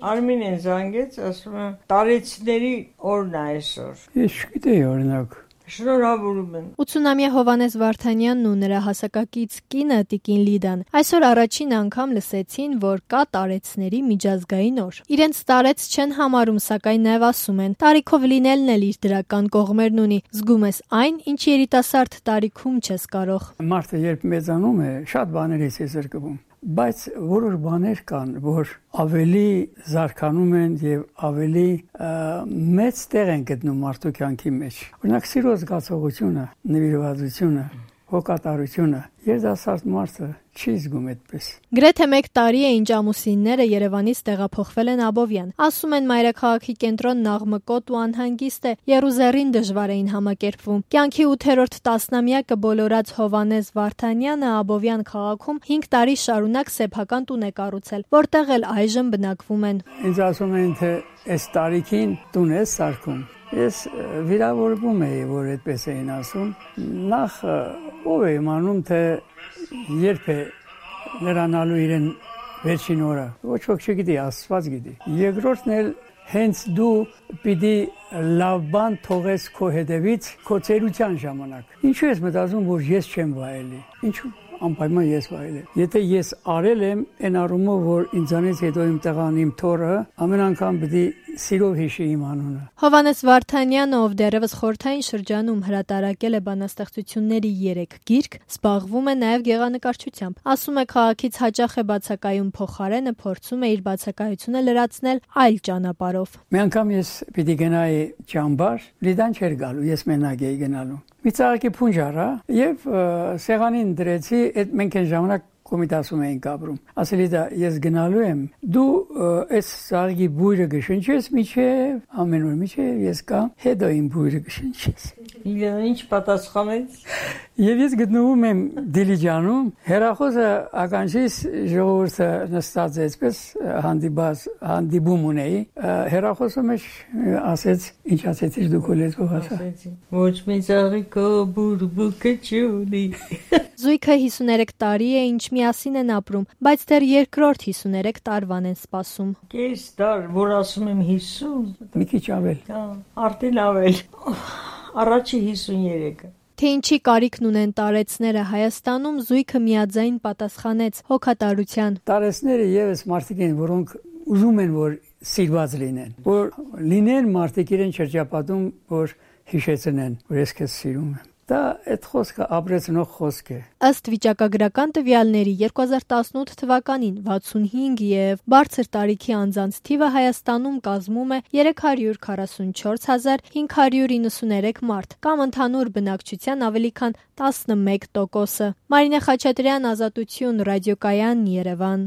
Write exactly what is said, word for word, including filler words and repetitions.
Արմինեն զանգեց, ասում եմ, տարեցիների օրն է այսօր։ Ես չգիտեի օրինակ։ Շնորհավորում եմ։ ութսունամյա Հովհաննես Վարդանյանն ու նրա հասակակից կինը Տիկին Լիդան այսօր առաջին անգամ լսեցին, որ կա տարեցների միջազգային օր։ Իրենց տարեց չեն համարում, սակայն նաև ասում են, տարիքով լինելն էլ իր դրական կողմերն ունի, զգում ես այն, ինչ երիտասարդ տարիքում չես կարող։ Մարդը երբ մեծանում է, շատ բաներից է զրկվում, բայց որոշ բաներ կան, որ ավելի զարգանում են եւ ավելի մեծ տեղ են գտնում մարդու կյանքի մեջ։ Օրինակ սիրո զգացողությունը, նվիրվածությունը, հոգատարությունը, երիտասարդ մարդը չի զգում այդպես։ Գրեթե մեկ տարի է ինչ ամուսինները Երևանից տեղափոխվել են Աբովյան։ Ասում են մայրաքաղաքի կենտրոնն աղմկոտ ու անհանգիստ է, եռուզեռին դժվար էին համակերպվում։ Կյանքի ութերորդ տասնամյակը բոլորած Հովհաննես Վարդանյանը Աբովյան քաղաքում հինգ տարի շարունակ սեփական տուն է կառուցել, որտեղ էլ այժմ բնակվում են։ Ինձ ասում են, թե այս տարիքին տուն է սարքում։ Ես վիրավորվում էի, որ այդպես էին ասում։ Նախ ով է իմանում, թե երբ է լրանալու իրեն վերջին օրը։ Ոչ ոք չգիտի, Աստված գիտի։ Երկրորդն էլ հենց դու պիտի լավ բան թողես քո հետևից քո ծերության ժամանակ։ Ինչու ես մտածում, որ ես չեմ վայելի։ Ինչու՞ անպայման ես վայելեմ։ Եթե ես արել եմ այն առումով, որ ինձանից հետո իմ տղան, իմ թոռը ամեն անգամ պիտի սիրով հիշի իմ անունը։ Հովհաննես Վարդանյանը, ով դեռևս խորհրդային շրջանում հրատարակել է բանաստեղծությունների երեք գիրք, զբաղվում է նաև գեղանկարչությամբ։ Ասում է, քաղաքից հաճախ է բացակայում փոխարենը, փորձում է իր բացակայությունը լրացնել այլ ճանապարհով։ Մի անգամ ես պիտի գնայի ճամբար, Լիդան չէր գալու, ես մենակ էի գնալու։ Մի ծաղկի փունջ առա եւ սեղանին դրեցի, այդ մենք այն ժամանակ կոմիտասում էինք ապրում։ Ասելի դա ես գնալու եմ, դու այս ծաղկի բույրը կշնչես միջև, ամեն օր միջև ես կամ, հետո իմ բույրը կշնչես։ Իրեն ինչ պատասխանեց։ Եվ ես գտնվում եմ Դիլիջանում, հեռախոսը ականջիս ժողովուրդը նստած է, այսպես հանդիպած, հանդիպում ունեի, հեռախոսը մեջ ասեց, ինչ ասեցիր դու քո լեզվով ասա։ Ոչ մի ծաղիկո բուրբուկը չունի։ Զույգը հիսուներեք տարի է, ինչ միասին են ապրում, բայց դեռ երկրորդ հիսուներեք տարվան են սպասում։ Կես դար, որ ասում եմ հիսուն։ Մի քիչ ավել։ Արդեն ավել։ Առաջի հիսուներեքը։ Թե ինչի կարիքն ունեն տարեցները Հայաստանում, զույգը միաձայն պատասխանեց հոգատարության։ Տարեցները եւս մարդիկ են, որոնք ուզում են, որ սիրված լինեն, որ լինեն մարդիկ իրեն շրջապատում, որ հիշեցնեն, որ ես քեզ սիրում եմ։ Դա այդ խոսքը ապրեցնող խոսք է։ Ըստ վիճակագրական տվյալների երկու հազար տասնութ թվականին վաթսունհինգ եւ բարձր տարիքի անձանց թիվը Հայաստանում կազմում է երեք հարյուր քառասունչորս հազար հինգ հարյուր իննսուներեք մարդ, կամ ընդհանուր բնակչության ավելի քան տասնմեկ տոկոսը։ Մարինե Խաչատրյան, Ազատություն, Ռադիոկայան, Երևան։